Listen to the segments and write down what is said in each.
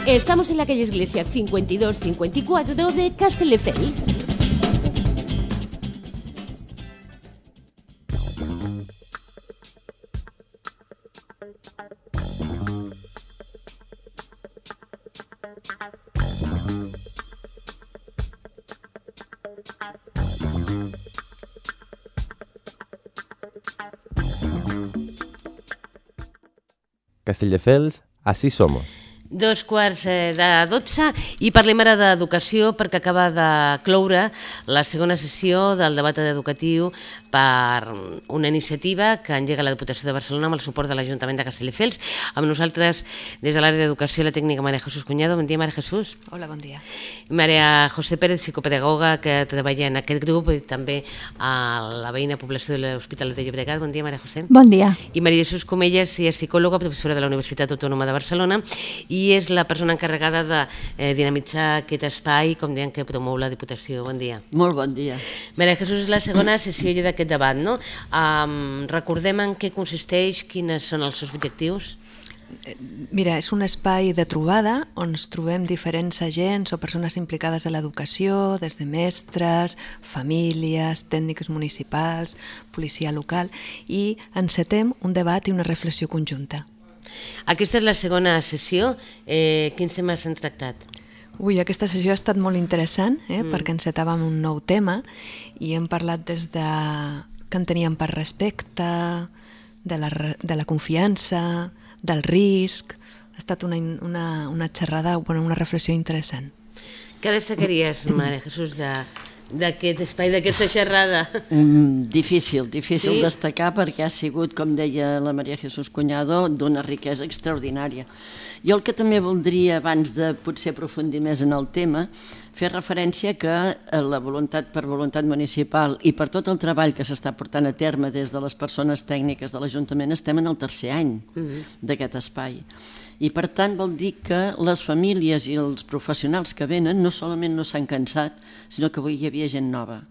Estamos en la calle Iglesia 5254 de Castelldefels. Castelldefels, así somos. 2:45 i parlem ara d'educació perquè acaba de cloure la segona sessió del debat educatiu per una iniciativa que engega la Diputació de Barcelona amb el suport de l'Ajuntament de Castelldefels. Amb nosaltres, des de l'àrea d'educació, la tècnica María Jesús Cuñado. Bon dia, María Jesús. Hola, bon dia. María José Pérez, psicopedagoga, que treballa en aquest grup, i també a la veïna població de l'Hospitalet de Llobregat. Bon dia, María José. Bon dia. I María Jesús Comelles és psicòloga, professora de la Universitat Autònoma de Barcelona, i és la persona encarregada de dinamitzar aquest espai, com deien, que promou la Diputació. Bon dia. Molt bon dia. María Jesús, és la segona sessió d'aquest debat, no? Recordem en què consisteix, quins són els seus objectius? Mira, és un espai de trobada on ens trobem diferents agents o persones implicades a l'educació, des de mestres, famílies, tècnics municipals, policia local, i encetem un debat i una reflexió conjunta. Aquesta és la segona sessió. Quins temes s'han tractat? Ui, aquesta sessió ha estat molt interessant, perquè encetàvem un nou tema i hem parlat des de què enteníem per respecte, de la confiança, del risc. Ha estat una xerrada, una reflexió interessant. Què destacaries, María Jesús, d'aquest espai, d'aquesta xerrada? Difícil destacar, perquè ha sigut, com deia la María Jesús Cuñado, d'una riquesa extraordinària. Jo el que també voldria, abans de potser aprofundir més en el tema, fer referència que la voluntat per voluntat municipal i per tot el treball que s'està portant a terme des de les persones tècniques de l'Ajuntament estem en el tercer any d'aquest espai. I per tant vol dir que les famílies i els professionals que venen no solament no s'han cansat, sinó que avui hi havia gent nova.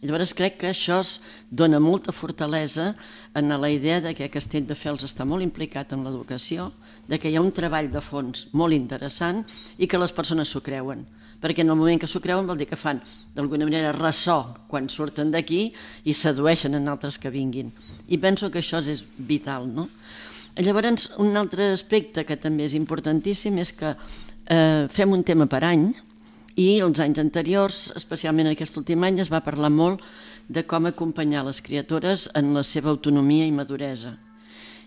Llavors crec que això dona molta fortalesa en la idea que Castelldefels està molt implicat en l'educació, que hi ha un treball de fons molt interessant i que les persones s'ho creuen. Perquè en el moment que s'ho creuen vol dir que fan d'alguna manera ressò quan surten d'aquí i sedueixen en altres que vinguin. I penso que això és vital, no? Llavors, un altre aspecte que també és importantíssim és que fem un tema per any i els anys anteriors, especialment aquest últim any, es va parlar molt de com acompanyar les criatures en la seva autonomia i maduresa.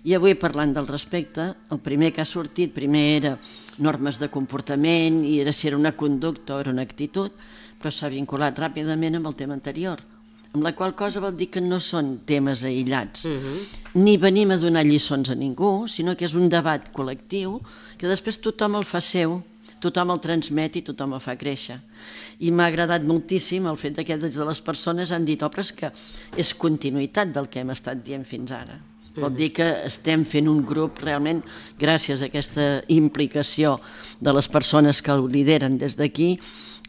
I avui, parlant del respecte, el primer que ha sortit, primer era normes de comportament i era si era una conducta o era una actitud, però s'ha vinculat ràpidament amb el tema anterior, amb la qual cosa vol dir que no són temes aïllats, ni venim a donar lliçons a ningú, sinó que és un debat col·lectiu que després tothom el fa seu, tothom el transmet i tothom el fa créixer. I m'ha agradat moltíssim el fet que des de les persones han dit però és que és continuïtat del que hem estat dient fins ara. Vol dir que estem fent un grup realment, gràcies a aquesta implicació de les persones que ho lideren des d'aquí,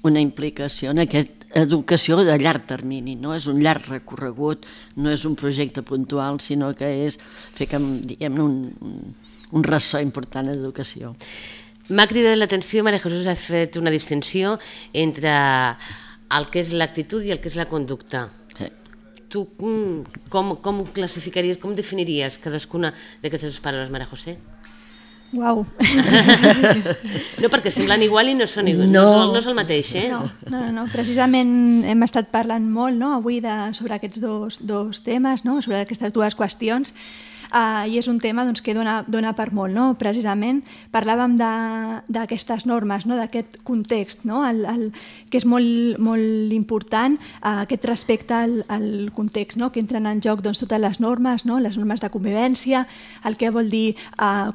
una implicació en aquesta educació de llarg termini, no és un llarg recorregut, no és un projecte puntual, sinó que és fer un ressò important d'educació. M'ha cridat l'atenció, María Jesús, has fet una distinció entre el que és l'actitud i el que és la conducta. Tu com classificaries, com definiries cadascuna d'aquestes paraules, María José? Uau! No, perquè semblen igual i no és el mateix, eh? No. Precisament hem estat parlant molt avui sobre aquests dos temes, sobre aquestes dues qüestions, i és un tema que dona per molt. Precisament parlàvem d'aquestes normes, d'aquest context, que és molt important, aquest respecte al context, que entren en joc totes les normes de convivència, el que vol dir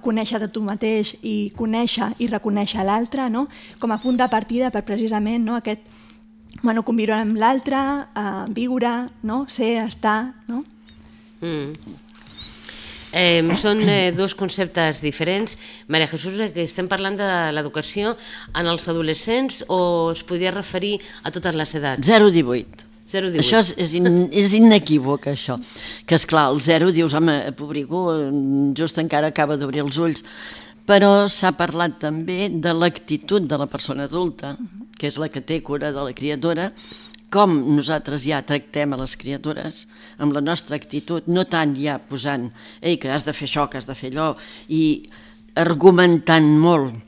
conèixer de tu mateix i conèixer i reconèixer l'altre, com a punt de partida per precisament aquest conviure amb l'altre, viure, ser, estar. Són dos conceptes diferents. María Jesús, que estem parlant de l'educació en els adolescents o es podria referir a totes les edats? 0-18. Això és inequívoc, això. Que esclar, el 0 dius, home, pobrico, just encara acaba d'obrir els ulls. Però s'ha parlat també de l'actitud de la persona adulta, que és la que té cura de la criatura, com nosaltres ja tractem a les criatures, amb la nostra actitud, no tant ja posant que has de fer això, que has de fer allò, i argumentant molt,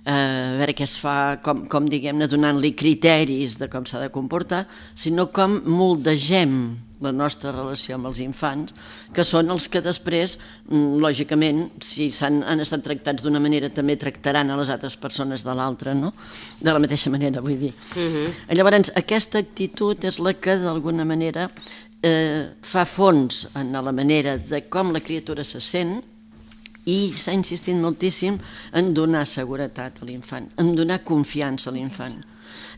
a veure què es fa, com diguem-ne, donant-li criteris de com s'ha de comportar, sinó com moldegem la nostra relació amb els infants, que són els que després, lògicament, si han estat tractats d'una manera, també tractaran a les altres persones de l'altra, no? De la mateixa manera, vull dir. Llavors, aquesta actitud és la que, d'alguna manera, fa fons en la manera de com la criatura se sent, i s'ha insistit moltíssim en donar seguretat a l'infant, en donar confiança a l'infant.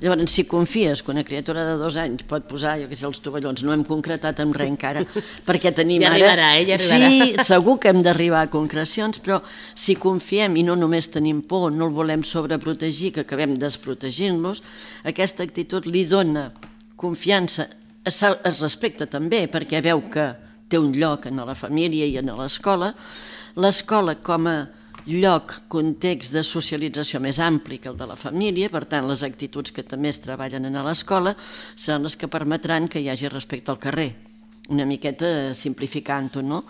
Llavors, si confies que una criatura de 2 anys pot posar, jo què sé, els tovallons, no hem concretat amb res encara, perquè tenim ja ara... arribarà, ja arribarà. Sí, segur que hem d'arribar a concrecions, però si confiem i no només tenim por, no el volem sobreprotegir, que acabem desprotegint-los, aquesta actitud li dona confiança, es respecta també, perquè veu que té un lloc en la família i en l'escola. L'escola com a lloc, context de socialització més ampli que el de la família, per tant les actituds que també es treballen a l'escola seran les que permetran que hi hagi respecte al carrer, una miqueta simplificant-ho, no?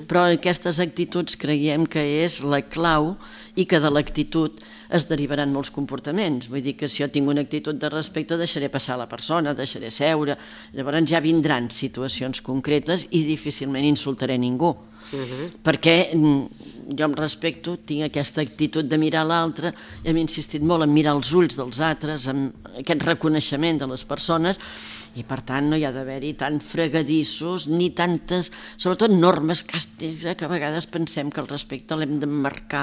Però aquestes actituds creiem que és la clau i que de l'actitud es derivaran molts comportaments. Vull dir que si jo tinc una actitud de respecte deixaré passar la persona, deixaré seure, llavors ja vindran situacions concretes i difícilment insultaré ningú. Perquè jo em respecto, tinc aquesta actitud de mirar l'altre, hem insistit molt en mirar els ulls dels altres, en aquest reconeixement de les persones, i per tant no hi ha d'haver-hi tant fregadissos ni tantes, sobretot normes càstigs, que a vegades pensem que el respecte l'hem d'emmarcar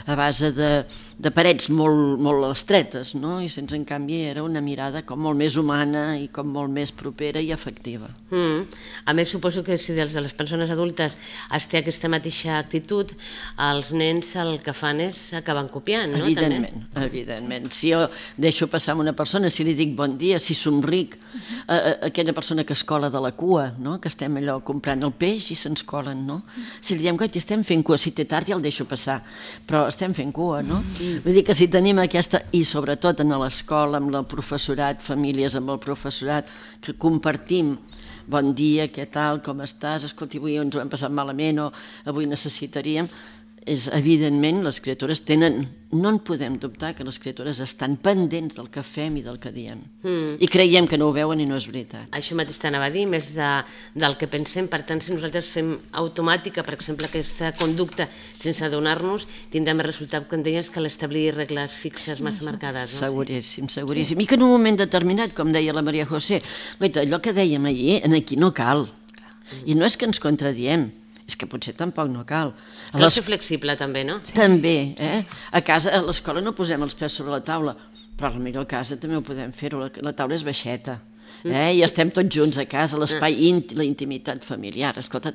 a base de parets molt estretes, no? I sense en canvi era una mirada com molt més humana i com molt més propera i afectiva. A més, suposo que si dels de les persones adultes es té aquesta mateixa actitud, els nens el que fan és acaben copiant, no? Evidentment. Si jo deixo passar una persona, si li dic bon dia, si somric, aquella persona que es cola de la cua, no? Que estem allò comprant el peix i se'ns colen, no? Si li diem que estem fent cua, si té tard ja el deixo passar, però estem fent cua, no? Vull dir que si tenim aquesta, i sobretot en l'escola, amb el professorat, famílies amb el professorat, que compartim bon dia, què tal, com estàs, escolti, avui ens ho hem passat malament o avui necessitaríem, és evidentment les criatures tenen, no en podem dubtar que les criatures estan pendents del que fem i del que diem i creiem que no ho veuen i no és veritat. Això mateix t'anava a dir, més del que pensem. Per tant, si nosaltres fem automàtica, per exemple, aquesta conducta sense adonar-nos, tindrem el resultat que en deies que l'establir regles fixes massa marcades. Seguríssim, seguríssim. I que en un moment determinat, com deia la Maria José, allò que dèiem ahir, aquí no cal. I no és que ens contradiem, és que potser tampoc no cal. Cal ser flexible també, no? També, a casa, a l'escola no posem els peus sobre la taula, però potser a casa també ho podem fer-ho, la taula és baixeta. I estem tots junts a casa, l'espai íntim, la intimitat familiar, escolta,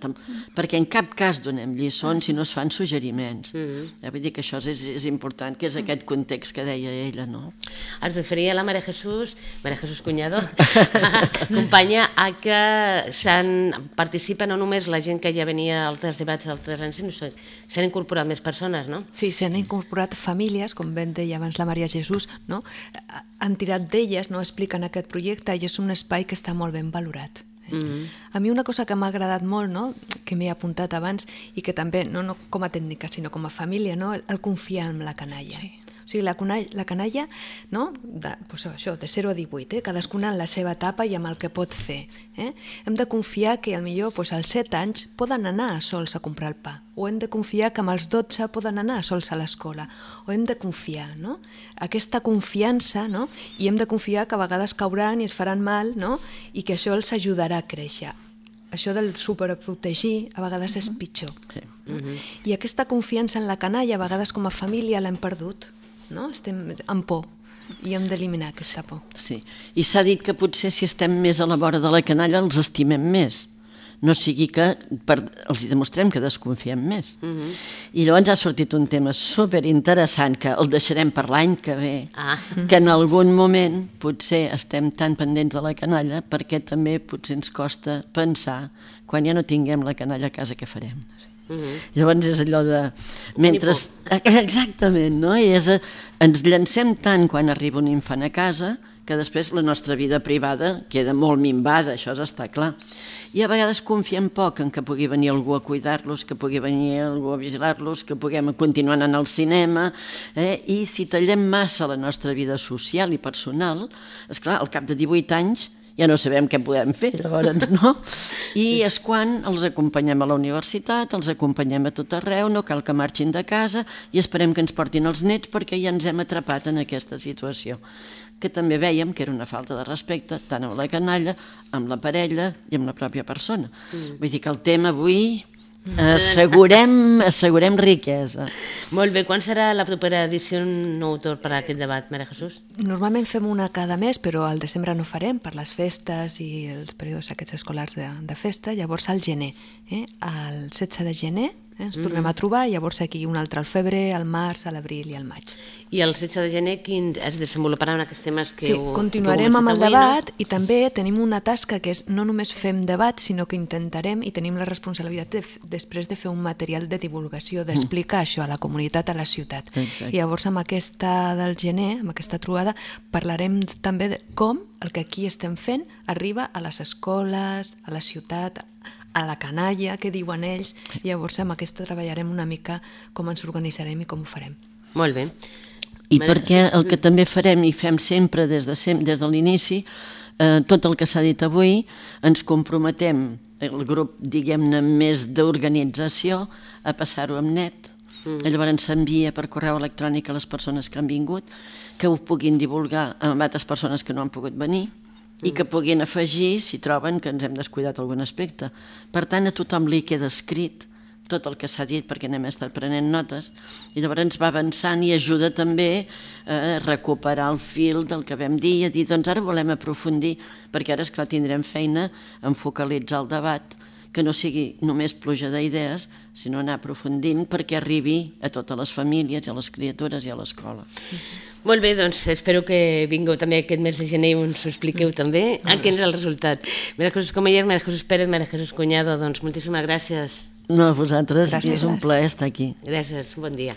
perquè en cap cas donem lliçons si no es fan suggeriments. Vull dir que això és important, que és aquest context que deia ella, no? Ens referia la Maria Jesús Cunyado, companya, a que participa no només la gent que ja venia a altres debats d'altres anys, sinó que s'han incorporat més persones, no? Sí, s'han incorporat famílies, com ben deia abans la Maria Jesús, no? Han tirat d'elles, no expliquen aquest projecte i és un espai que està molt ben valorat. A mi una cosa que m'ha agradat molt, no? Que m'he apuntat abans i que també, no com a tècnica, sinó com a família, no? El confiar en la canalla. Sí. O sigui, la canalla, no? De 0 a 18, cadascuna en la seva etapa i amb el que pot fer. Hem de confiar que potser als 7 anys poden anar sols a comprar el pa, o hem de confiar que amb els 12 poden anar sols a l'escola, o hem de confiar, no? Aquesta confiança, no? I hem de confiar que a vegades cauran i es faran mal, no? I que això els ajudarà a créixer. Això del superprotegir a vegades és pitjor. I aquesta confiança en la canalla a vegades com a família l'hem perdut. No? Estem amb por i hem d'eliminar aquesta por. Sí, i s'ha dit que potser si estem més a la vora de la canalla els estimem més, no sigui que els demostrem que desconfiem més. I llavors ha sortit un tema superinteressant que el deixarem per l'any que ve, que en algun moment potser estem tan pendents de la canalla perquè també potser ens costa pensar quan ja no tinguem la canalla a casa què farem. Llavors és allò de... Mentre... Exactament, no? I ens llancem tant quan arriba un infant a casa que després la nostra vida privada queda molt minvada, això està clar. I a vegades confiem poc en que pugui venir algú a cuidar-los, que pugui venir algú a vigilar-los, que puguem continuar anant al cinema, i si tallem massa la nostra vida social i personal, esclar, al cap de 18 anys ja no sabem què podem fer, llavors, no? I és quan els acompanyem a la universitat, els acompanyem a tot arreu, no cal que marxin de casa i esperem que ens portin els nets perquè ja ens hem atrapat en aquesta situació, que també vèiem que era una falta de respecte tant amb la canalla, amb la parella i amb la pròpia persona. Vull dir que el tema avui... Assegurem riquesa. Molt bé, quan serà la propera edició nou torn per a aquest debat, Maria Jesús? Normalment fem una cada mes, però al desembre no farem per les festes i els períodes aquests escolars de festa, llavors al gener, el 16 de gener ens tornem a trobar, i llavors aquí un altre al febrer, al març, a l'abril i al maig. I el 16 de gener quin es desenvoluparan aquests temes que Sí, heu continuarem amb el avui, debat, i també tenim una tasca que és no només fem debat, sinó que intentarem i tenim la responsabilitat després de fer un material de divulgació, d'explicar això a la comunitat, a la ciutat. Exacte. I llavors amb aquesta del gener, amb aquesta trobada, parlarem també de com el que aquí estem fent arriba a les escoles, a la ciutat, a la canalla, què diuen ells, i llavors amb aquesta treballarem una mica com ens organitzarem i com ho farem. Molt bé. I perquè el que també farem i fem sempre des de l'inici, tot el que s'ha dit avui, ens comprometem, el grup, diguem-ne, més d'organització, a passar-ho amb net. Llavors s'envia per correu electrònic a les persones que han vingut, que ho puguin divulgar amb altres persones que no han pogut venir, i que puguin afegir si troben que ens hem descuidat algun aspecte. Per tant, a tothom li queda escrit tot el que s'ha dit perquè n'hem estat prenent notes, i llavors ens va avançant i ajuda també a recuperar el fil del que vam dir i a dir, doncs ara volem aprofundir, perquè ara, esclar, tindrem feina en focalitzar el debat, que no sigui només pluja d'idees, sinó anar aprofundint perquè arribi a totes les famílies, a les criatures i a l'escola. Molt bé, doncs espero que vingueu també aquest mes de gener i ens ho expliqueu també. Quin és el resultat? Maria Jesús Comeller, Maria Jesús Pérez, Maria Jesús Cuñado, doncs moltíssimes gràcies. No, a vosaltres, Gràcies. és un plaer estar aquí. Gràcies, bon dia.